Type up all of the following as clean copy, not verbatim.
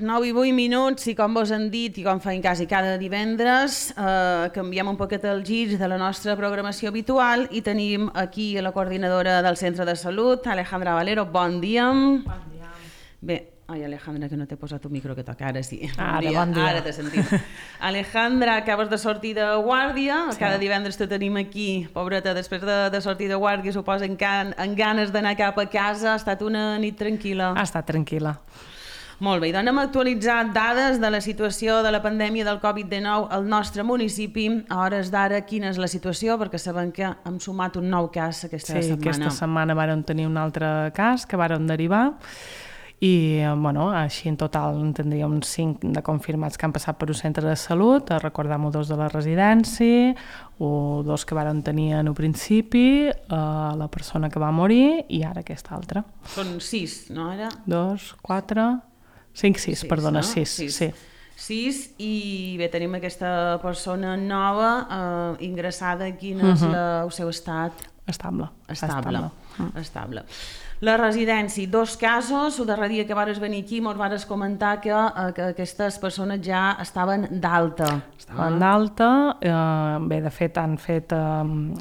9 i 8 minuts i com vos han dit i com feim quasi cada divendres, canviem un poquet el gir de la nostra programació habitual i tenim aquí a la coordinadora del Centre de Salut, Alejandra Valero. Bon dia. Bon dia. Bé, ai, Alejandra, que no t'he posat un micro que toca, ara sí. Bon dia. Ara t'he sentit. Alejandra, acabes de sortir de guàrdia, sí. Cada divendres te tenim aquí, pobreta, després de sortir de guàrdia, suposo en ganes d'anar cap a casa. Ha estat una nit tranquil·la? Ha estat tranquil·la. Molt bé, doncs hem actualitzat dades de la situació de la pandèmia del Covid-19 al nostre municipi. A hores d'ara, quina és la situació? Perquè sabem que hem sumat un nou cas aquesta setmana. Sí, aquesta setmana vàrem tenir un altre cas que vàrem derivar i, així en total en tindríem 5 de confirmats que han passat per un centre de salut, recordem-ho 2 de la residència, 2 que vàrem tenir en un principi, la persona que va morir i ara aquesta altra. Són 6, no era? 2, 4... 5, 6, perdona, no? 6, sí. 6 i bé, tenim aquesta persona nova ingressada. Quin és el seu estat? Estable. La residència, 2 casos. El darrer dia que vares venir aquí mos vares comentar que aquestes persones ja estaven d'alta. Estaven d'alta, bé, de fet han fet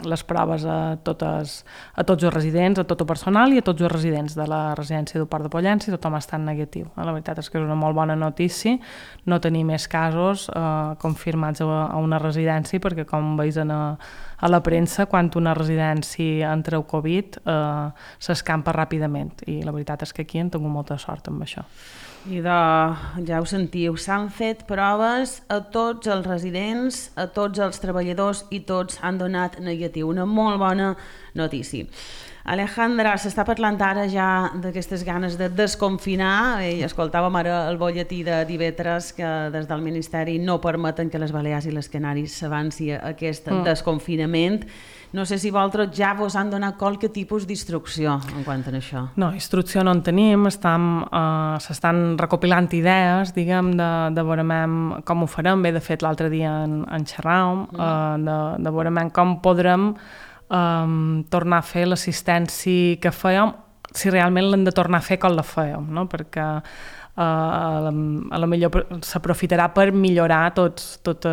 les proves a tots els residents, a tot el personal i a tots els residents de la residència del Port de Pollença i tothom està en negatiu. La veritat és que és una molt bona notícia no tenir més casos confirmats a una residència, perquè com veus a la premsa, quan una residència entra el Covid s'escampa ràpidament i la veritat és que aquí hem tingut molta sort amb això. I ja ho sentiu, s'han fet proves a tots els residents, a tots els treballadors i tots han donat negatiu. Una molt bona notícia. Alejandra, s'està parlant ara ja d'aquestes ganes de desconfinar i escoltàvem ara el bolletí de divendres que des del Ministeri no permeten que les Balears i les Canàries s'avanci aquest desconfinament. No sé si vosaltres ja vos han donat qualque tipus d'instrucció en quant a això. No, instrucció no en tenim, s'estan recopilant idees, diguem, de veurem com ho farem. Bé, de fet, l'altre dia en xerràvem, de veurem com podrem tornar a fer l'assistència que fèiem, si realment l'hem de tornar a fer com la fèiem, no? Perquè a lo millor s'aprofitarà per millorar tot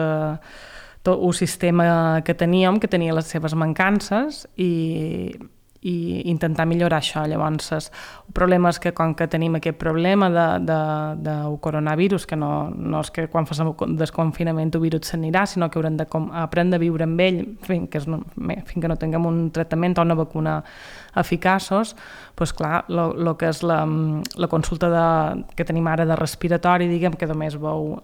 el sistema que teníem, que tenia les seves mancances i intentar millorar això. Llavors, el problema és que com que tenim aquest problema del coronavirus, que no és que quan fas el desconfinament el virus s'anirà, sinó que haurem d'aprendre a viure amb ell fins que no tinguem un tractament o una vacuna eficaços, doncs clar, el que és la consulta que tenim ara de respiratori, diguem, que només veu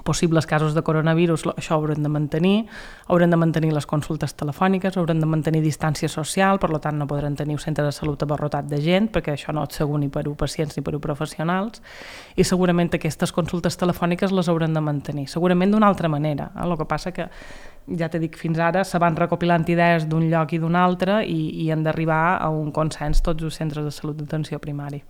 possibles casos de coronavirus, això haurem de mantenir les consultes telefòniques, haurem de mantenir distància social, per tant no podrem tenir un centre de salut abarrotat de gent, perquè això no és segur ni per a pacients ni per a professionals, i segurament aquestes consultes telefòniques les haurem de mantenir, segurament d'una altra manera. El que passa que, ja t'he dit, fins ara se van recopilant idees d'un lloc i d'un altre i hem d'arribar a un consens tots els centres de salut d'atenció primària.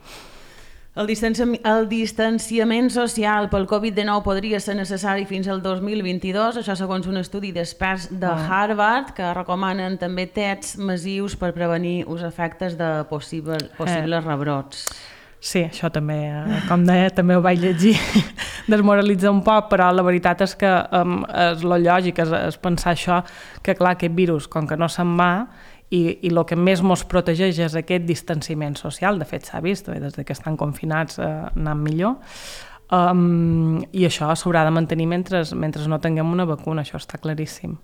El distanciament social pel Covid-19 podria ser necessari fins al 2022, això segons un estudi d'experts de Harvard, que recomanen també tests massius per prevenir els efectes de possibles rebrots. Sí, això també, com deia, també ho vaig llegir, desmoralitza un poc, però la veritat és que és lo lògic, és pensar això, que clar, aquest virus, com que no se'n va, i el que més ens protegeix és aquest distanciament social. De fet s'ha vist, des que estan confinats anant millor, i això s'haurà de mantenir mentre no tinguem una vacuna, això està claríssim.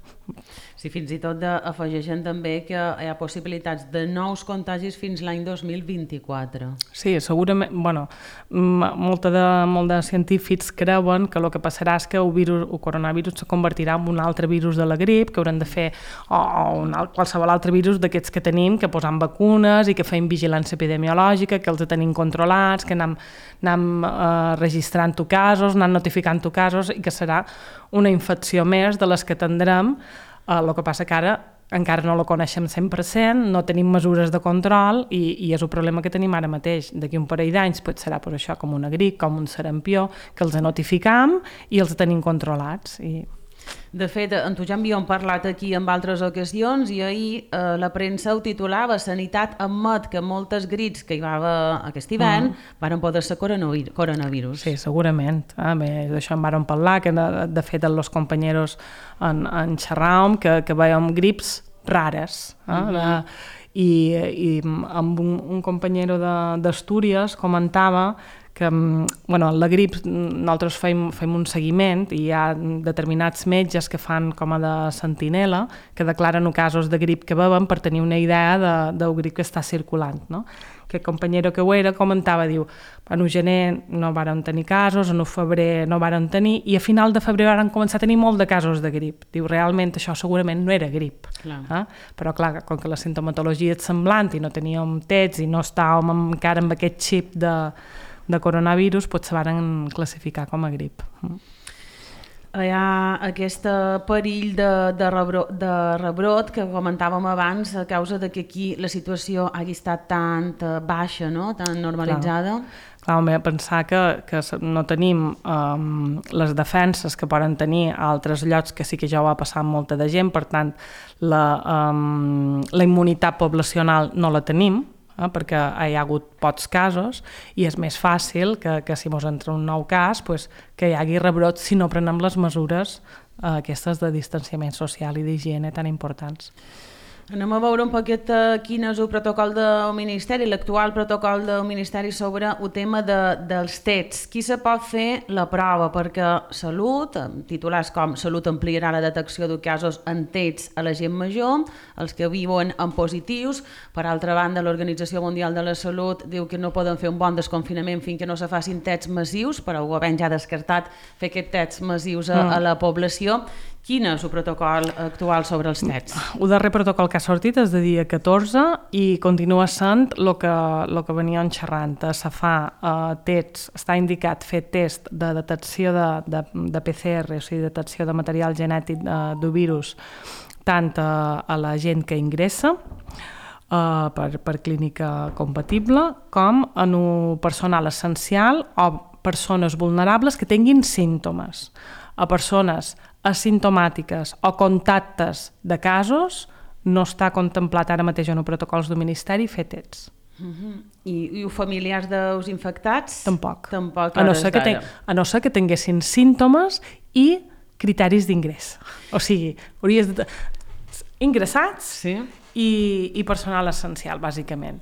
Sí, fins i tot afegeixen també que hi ha possibilitats de nous contagis fins l'any 2024. Sí, segurament, molt de científics creuen que el que passarà és que el coronavirus se convertirà en un altre virus de la grip, que haurem de fer, o qualsevol altre virus d'aquests que tenim, que posam vacunes i que fem vigilància epidemiològica, que els tenim controlats, que anem registrant casos, anem notificant casos, i que serà una infecció més de les que tindrem. El que passa que ara encara no la coneixem 100%, no tenim mesures de control i és el problema que tenim ara mateix. D'aquí un parell d'anys serà per això com una grip, com un sarampió, que els notificam i els tenim controlats. De fet, en tu ja havíem parlat aquí en altres ocasions i ahir la premsa ho titulava "Sanitat admet que moltes grits que hi va haver aquest hivern van poder ser coronavirus". Sí, segurament. Bé, d'això en vàrem parlar, que de fet els companyeros en xerràvem que veiem grips rares. I amb un companyero d'Astúries comentava que la grip nosaltres fem un seguiment i hi ha determinats metges que fan com a de sentinela que declaren casos de grip que beuen per tenir una idea del grip que està circulant, no? Aquest companyero que ho era comentava, diu, en gener no varen tenir casos, en febrer no varen tenir i a final de febrer varen començar a tenir molt de casos de grip. Diu, realment això segurament no era grip. Però clar, com que la sintomatologia és semblant i no teníem tests i no estàvem encara amb aquest xip de coronavirus, potser varen classificar com a grip. Hi ha aquest perill de rebrot que comentàvem abans a causa de que aquí la situació hagi estat tan baixa, no? Tan normalitzada. Clar, pensar que no tenim les defenses que poden tenir a altres llocs que sí que ja ho ha passat molta de gent, per tant la immunitat poblacional no la tenim, perquè hi ha hagut pocs casos i és més fàcil que si ens entra un nou cas que hi hagi rebrot si no prenem les mesures aquestes de distanciament social i d'higiene tan importants. Anem a veure un poquet quin és el protocol del Ministeri, l'actual protocol del Ministeri sobre el tema dels tests. Qui se pot fer la prova? Perquè Salut, titulars com Salut ampliarà la detecció de casos en tests a la gent major, els que viuen en positius. Per altra banda, l'Organització Mundial de la Salut diu que no poden fer un bon desconfinament fins que no se facin tests massius, però ho havent ja descartat fer aquests tests massius a la població. Quin és el protocol actual sobre els tests? El darrer protocol que ha sortit és de dia 14 i continua sent el que venien xerrant. Se fa tests, està indicat fer test de detecció de PCR, o sigui, detecció de material genètic de virus, tant a la gent que ingressa per clínica compatible, com en un personal essencial o persones vulnerables que tinguin símptomes. A persones asimptomàtiques o contactes de casos no està contemplat ara mateix en els protocols del Ministeri fer tests. I els familiars dels infectats? Tampoc. A no ser que tinguessin símptomes i criteris d'ingrés. O sigui, hauries de ingressats i personal essencial, bàsicament.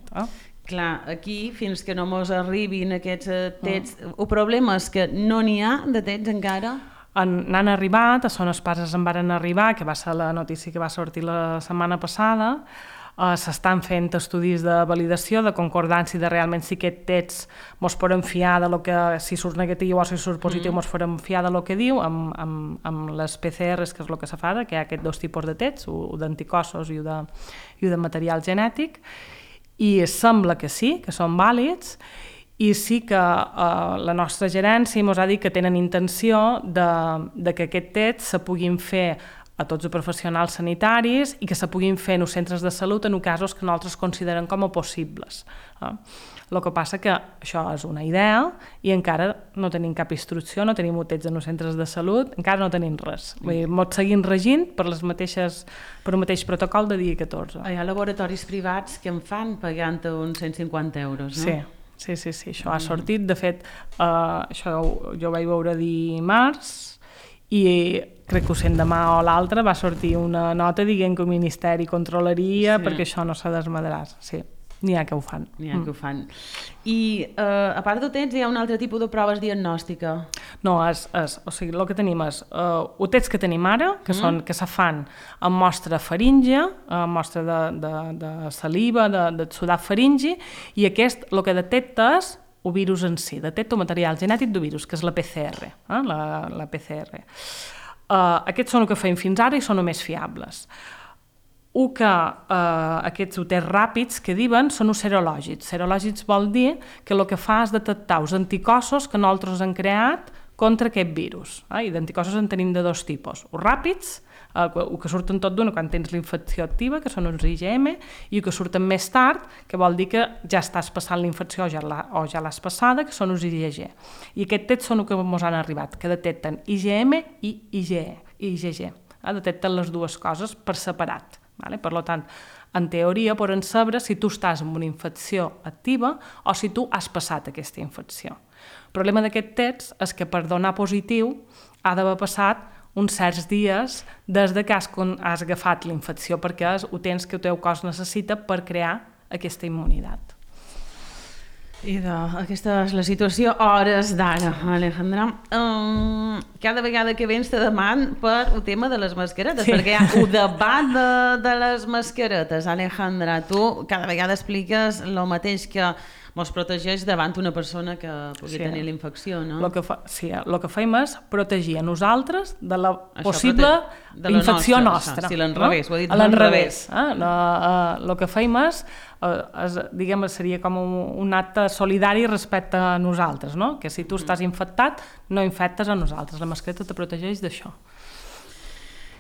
Clar, aquí, fins que no mos arribin aquests tests, el problema és que no n'hi ha de tests encara. N'han arribat, a Zones Pases en varen arribar, que va ser la notícia que va sortir la setmana passada. S'estan fent estudis de validació, de concordància, de realment si aquest test mos podem fiar de lo que, si surt negatiu o si surt positiu, mos podem fiar de lo que diu, amb les PCRs, que és el que se fa, que hi ha aquests dos tipus de tests, un d'anticossos i un de material genètic, i sembla que sí, que són vàlids, i sí que la nostra gerència ens ha dit que tenen intenció de que aquest test se puguin fer a tots els professionals sanitaris i que se puguin fer en els centres de salut en casos que nosaltres considerem com a possibles. El que passa que això és una idea i encara no tenim cap instrucció, no tenim tests en els centres de salut, encara no tenim res. Ens seguim regint per el mateix protocol de dia 14. Hi ha laboratoris privats que en fan pagant uns 150 euros, no? Sí, això ha sortit. De fet, això jo vaig veure dimarts i crec que ho sent demà o l'altre va sortir una nota dient que el Ministeri controlaria perquè això no s'ha desmadrat. Sí, n'hi ha que ho fan. I a part de tests hi ha un altre tipus de proves diagnòstica? No, o sigui, el que tenim és els tests que tenim ara, que se fan amb mostra faríngia, amb mostra de saliva, de sudat faringi, i aquest el que detecta és el virus en si, detecta el material genètic del virus, que és la PCR. La PCR. Aquests són el que feim fins ara i són els més fiables. Aquests tests ràpids que diuen són els serològics. Serològics vol dir que el que fa és detectar els anticossos que nosaltres hem creat contra aquest virus. I d'anticossos en tenim de dos tipus. Els ràpids, el que surten tot d'una quan tens la infecció activa, que són els IgM, i el que surten més tard, que vol dir que ja estàs passant la infecció o ja l'has passada, que són els IgG. I aquests tests són els que ens han arribat, que detecten IgM i IgE, i IgG. Detecten les dues coses per separat. Per tant, en teoria poden saber si tu estàs amb una infecció activa o si tu has passat aquesta infecció. El problema d'aquest test és que per donar positiu ha d'haver passat uns certs dies des que has agafat la infecció, perquè és ho tens que el teu cos necessita per crear aquesta immunitat. I aquesta és la situació hores d'ara, Alejandra. Cada vegada que vens te deman per el tema de les mascaretes, perquè hi ha el debat de les mascaretes. Alejandra, tu cada vegada expliques el mateix, que ens protegeix davant una persona que pugui tenir la infecció, no? El que fem és protegir a nosaltres de la possible infecció nostra. Sí, l'enrevés, ho he dit l'enrevés. El que fem és, diguem, seria com un acte solidari respecte a nosaltres, no? Que si tu estàs infectat, no infectes a nosaltres. La mascareta te protegeix d'això.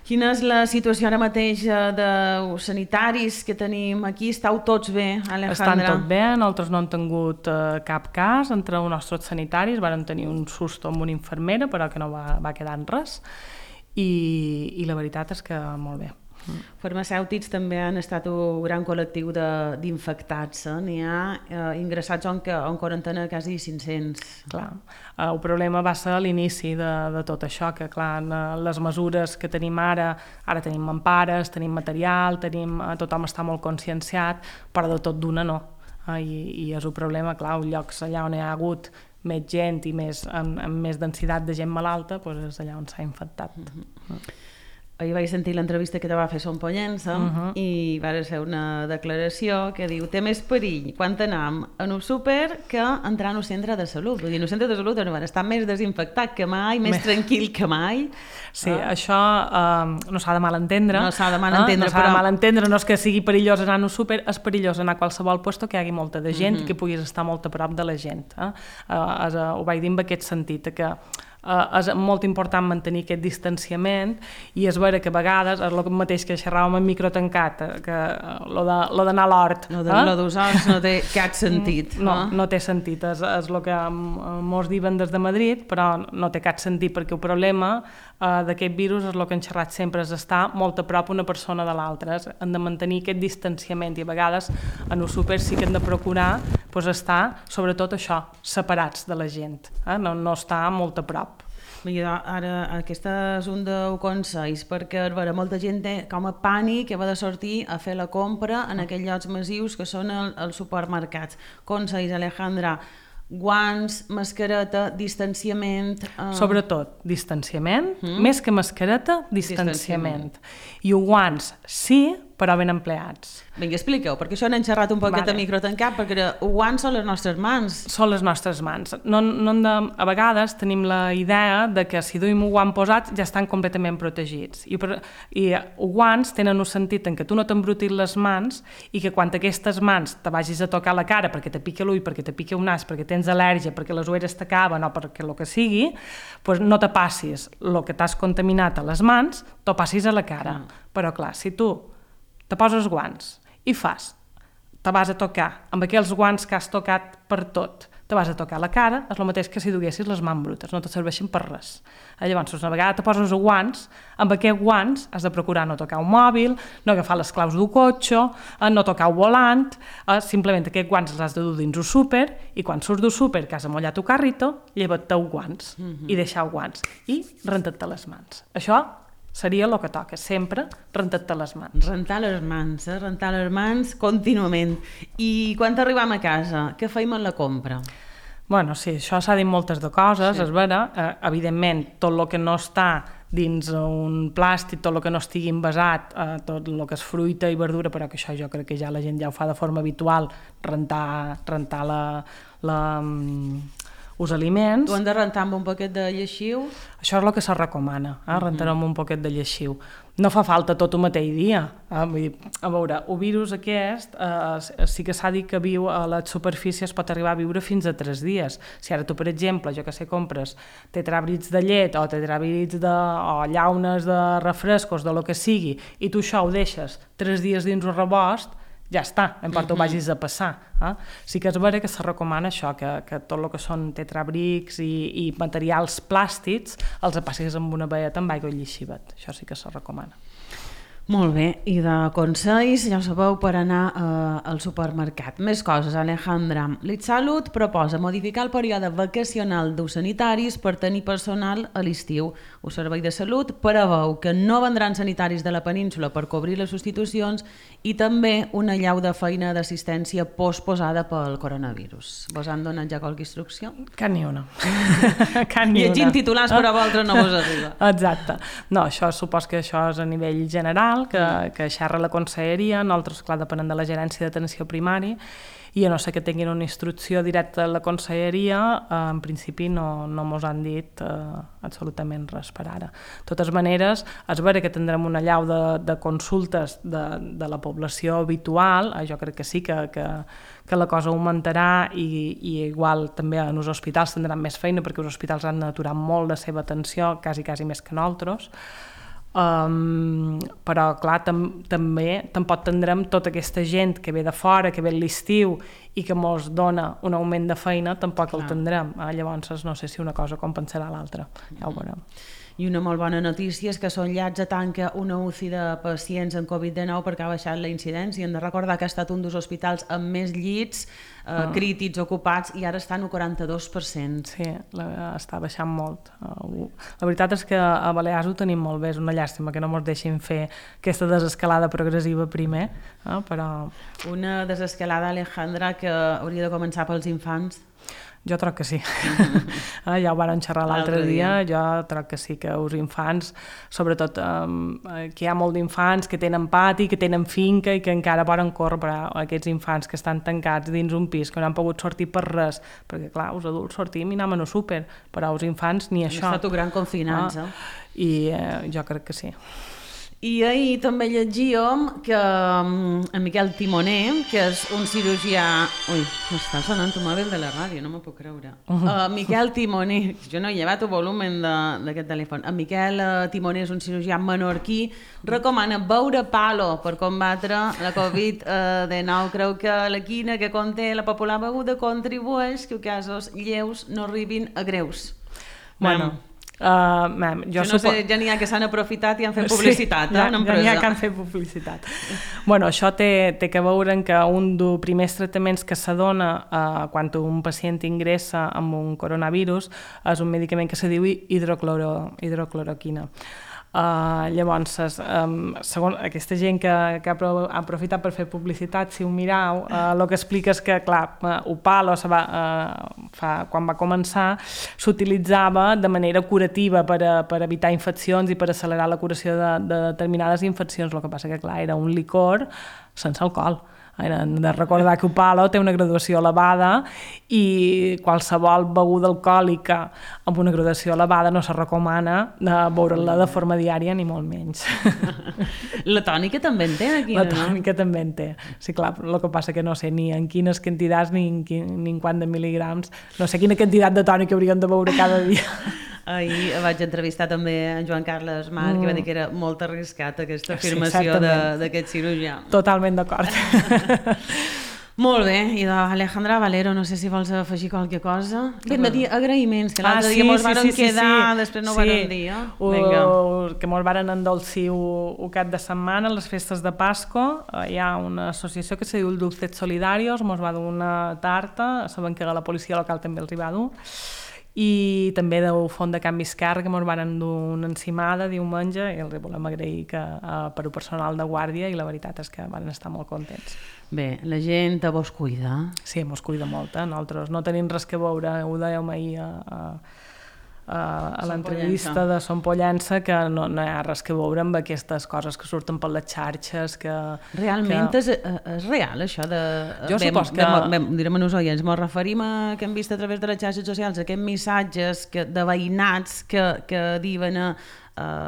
Quina és la situació ara mateix dels sanitaris que tenim aquí? Esteu tots bé, Alejandra? Estan tot bé, nosaltres no hem tingut cap cas entre els nostres sanitaris, vam tenir un susto amb una infermera, però que no va quedar en res, i la veritat és que molt bé. Farmacèutics també han estat un gran col·lectiu d'infectats. N'hi ha ingressats en quarantena quasi 500. Clar, el problema va ser a l'inici de tot això, que clar, les mesures que tenim ara tenim mampares, tenim material, tothom està molt conscienciat, però de tot d'una no. I és un problema, clar, llocs allà on hi ha hagut més gent i amb més densitat de gent malalta, és allà on s'ha infectat. Ahir vaig sentir l'entrevista que te va fer Son Pollença i va ser una declaració que diu: té més perill quan anem en un súper que entrar en un centre de salut. Vull dir, en un centre de salut està més desinfectat que mai, més tranquil que mai. Sí, això no s'ha de malentendre. No s'ha de malentendre, no és que sigui perillós anar en un súper, és perillós anar a qualsevol lloc que hi hagi molta de gent i que puguis estar molt a prop de la gent. Ho vaig dir en aquest sentit, que és molt important mantenir aquest distanciament, i és vera que a vegades és el mateix que xerràvem en micro tancat, que lo d'anar a l'hort. Lo dels horts no té cap sentit. No té sentit, és el que mos diuen des de Madrid, però no té cap sentit, perquè el problema d'aquest virus és el que hem xerrat sempre, és estar molt a prop una persona de l'altra, hem de mantenir aquest distanciament, i a vegades en el súper sí que hem de procurar estar, sobretot això, separats de la gent, no estar molt a prop. Ara, aquest és un dels consells, perquè molta gent té com a pànic que va de sortir a fer la compra en aquells llocs massius que són els supermercats. Consells, Alejandra: guants, mascareta, distanciament... Sobretot, distanciament, més que mascareta, distanciament. I els guants, sí, però ben empleats. Vinga, expliqueu, perquè això n'hem xerrat un poquet a micro tancat, perquè els guants són les nostres mans. Són les nostres mans. A vegades tenim la idea de que si duim un guant posat ja estan completament protegits. I els guants tenen un sentit en què tu no t'embrutis les mans i que quan aquestes mans te vagis a tocar la cara perquè te pica l'ull, perquè te pica un nas, perquè tens al·lèrgia, perquè les ulleres t'acaben o perquè el que sigui, no te passis el que t'has contaminat a les mans, t'ho passis a la cara. Però clar, si tu te poses guants i te vas a tocar amb aquells guants que has tocat per tot, te vas a tocar la cara, és el mateix que si duguessis les mans brutes, no te serveixen per res. Llavors, una vegada te poses guants, amb aquests guants has de procurar no tocar un mòbil, no agafar les claus d'un cotxe, no tocar un volant, simplement aquests guants els has de dur dins un súper, i quan surts d'un súper que has amollat un carrito, lleva't-te els guants i deixar els guants i renta't-te les mans. Això seria el que toca, sempre rentar-te les mans. Rentar les mans contínuament. I quan arribem a casa, què feim en la compra? Bueno, sí, això s'ha dit moltes de coses, és vera. Evidentment, tot el que no està dins un plàstic, tot el que no estigui envasat, tot el que és fruita i verdura, però que això jo crec que ja la gent ja ho fa de forma habitual, rentar els aliments. Ho hem de rentar amb un poquet de lleixiu? Això és el que se recomana, rentar amb un poquet de lleixiu. No fa falta tot el mateix dia. Vull dir, a veure, el virus aquest sí que s'ha dit que viu a les superfícies, pot arribar a viure fins a 3 dies. Si ara tu, per exemple, jo que sé, compres tetrabrits de llet o tetrabrits o llaunes de refrescos, de lo que sigui, i tu això ho deixes 3 dies dins un rebost, ja està, no importa ho vagis a passar. Sí que és vera que se recomana això, que tot el que són tetrabrics i materials plàstics els passis amb una velleta amb aigua i llixivet. Això sí que se recomana. Molt bé, i de consells, ja ho sabeu, per anar al supermercat. Més coses, Alejandra. LitSalut proposa modificar el període vacacional dels sanitaris per tenir personal a l'estiu. El Servei de Salut preveu que no vendran sanitaris de la península per cobrir les substitucions i també una llau de feina d'assistència posposada pel coronavirus. Vos han donat ja qualque instrucció? Cap ni una. Llegint titulars per a vosaltres no vos arriba. Exacte. No, això supos que això és a nivell general, que xerra la conselleria, nosaltres, clar, depenem de la gerència d'atenció primari, i a no ser que tinguin una instrucció directa de la conselleria, en principi no mos han dit absolutament res per ara. De totes maneres, és vera que tindrem una llau de consultes de la població habitual, jo crec que sí que la cosa augmentarà i igual també en els hospitals tindran més feina perquè els hospitals han d'aturar molt la seva atenció, quasi més que nosaltres. Però clar, també tampoc tindrem tota aquesta gent que ve de fora, que ve a l'estiu i que mos dona un augment de feina, tampoc el tindrem. Llavors no sé si una cosa compensarà l'altra, ja ho veurem. I una molt bona notícia és que Son Llats tanca una UCI de pacients amb Covid-19 perquè ha baixat la incidència. Hem de recordar que ha estat un dels hospitals amb més llits crítics ocupats i ara està en un 42%. Sí, està baixant molt. La veritat és que a Balears ho tenim molt bé, és una llàstima que no ens deixin fer aquesta desescalada progressiva primer, però... Una desescalada, Alejandra, que hauria de començar pels infants. Jo troc que sí. Ja ho van xerrar l'altre dia. Jo troc que sí, que els infants, sobretot que hi ha molt d'infants que tenen pati, que tenen finca i que encara poden córrer, però aquests infants que estan tancats dins un pis, que no han pogut sortir per res, perquè clar, els adults sortim i anem a no súper, però els infants ni això. Ha estat un gran confinat, I jo crec que sí. I ahir també llegíem que en Miquel Timoner, que és un cirurgià... Ui, m'està sonant el mòbil de la ràdio, no m'ho puc creure. Miquel Timoner, jo no he llevat el volum d'aquest telèfon. En Miquel Timoner és un cirurgià menorquí, recomana beure palo per combatre la Covid-19. Creu que la quina que conté la popular beguda contribueix que casos lleus no arribin a greus. Bueno... jo no sé, ja n'hi ha que s'han aprofitat i han fet publicitat, ja n'hi ha que han fet publicitat. Bueno, això té que veure que un dels primers tractaments que s'adona quan un pacient ingressa amb un coronavirus és un medicament que se diu hidrocloroquina. Llavors, segons aquesta gent que ha aprofitat per fer publicitat, si ho mireu, el que explica és que, clar, el palo quan va començar s'utilitzava de manera curativa per evitar infeccions i per accelerar la curació de determinades infeccions. El que passa que, clar, era un licor sense alcohol. Hem de recordar que el palo té una graduació elevada i qualsevol beguda alcohòlica amb una graduació elevada no se recomana beure-la de forma diària ni molt menys. La tònica també en té aquí, no? La tònica també en té. Sí, clar, el que passa que no sé ni en quines quantitats ni en quant de mil·ligrams. No sé quina quantitat de tònica hauríem de beure cada dia. Ahir vaig entrevistar també en Joan Carles Marc, que va dir que era molt arriscat aquesta afirmació d'aquest cirurgià. Totalment d'acord. Molt bé, i d'Alejandra Valero, no sé si vols afegir qualque cosa. Hem de dir agraïments, que l'altre dia mos varen quedar, després no ho varen dir. Que mos varen endolcir un cap de setmana a les festes de Pasco. Hi ha una associació que se diu Dulces Solidarios, mos va dur una tarta, sabem que a la policia local també els hi va dur, i també del Font de Canvi Esquerra, que ens van dur una encimada diumenge, i els volem agrair per al personal de guàrdia, i la veritat és que van estar molt contents. Bé, la gent vos cuida. Sí, mos cuida molt. Nosaltres no tenim res que veure, ho dèiem ahir a l'entrevista de Son Pollença, que no hi ha res que veure amb aquestes coses que surten per les xarxes. Realment és real, això de... Jo supos que... Direm a nos oients, ens referim a que hem vist a través de les xarxes socials aquests missatges de veïnats que diuen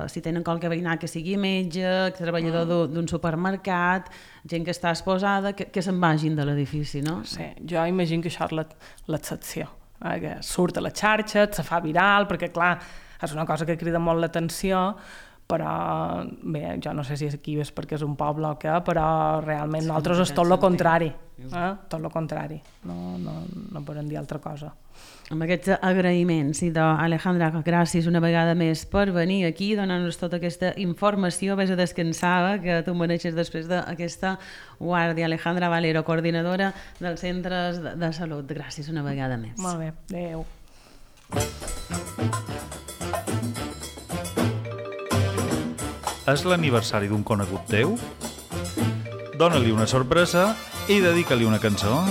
si tenen qualque veïnat que sigui metge, treballador d'un supermercat, gent que està exposada, que se'n vagin de l'edifici, no? Sí, jo imagino que això és l'excepció. Que surt a les xarxes, se fa viral, perquè clar, és una cosa que crida molt l'atenció, però bé, jo no sé si aquí és perquè és un poble o què, però realment nosaltres és tot el contrari, tot el contrari, no podem dir altra cosa. Amb aquests agraïments, Alejandra, gràcies una vegada més per venir aquí, donar-nos tota aquesta informació, vés a descansar, que tu mereixes després d'aquesta guàrdia. Alejandra Valero, coordinadora dels centres de salut. Gràcies una vegada més. Molt bé, adéu. És l'aniversari d'un conegut teu? Dóna-li una sorpresa i dedica-li una cançó.